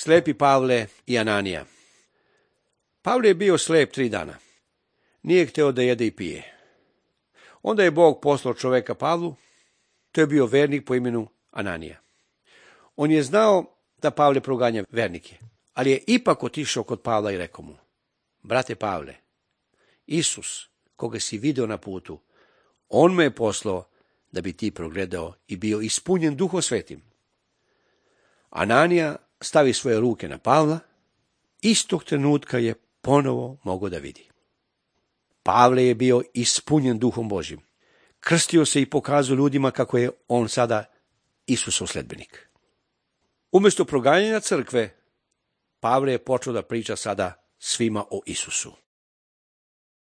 Slepi Pavle i Ananija. Pavle je bio slep 3 dana. Nije hteo da jede i pije. Onda je Bog poslao čoveka Pavlu, to je bio vernik po imenu Ananija. On je znao da Pavle proganja vernike, ali je ipak otišao kod Pavla i rekao mu: brate Pavle, Isus, koga si video na putu, on me je poslao da bi ti progledao i bio ispunjen Duhom Svetim. Ananija stavi svoje ruke na Pavla, istog trenutka je ponovo mogao da vidi. Pavle je bio ispunjen Duhom Božjim. Krstio se i pokazao ljudima kako je on sada Isusov sledbenik. Umjesto proganjanja crkve, Pavle je počeo da priča sada svima o Isusu.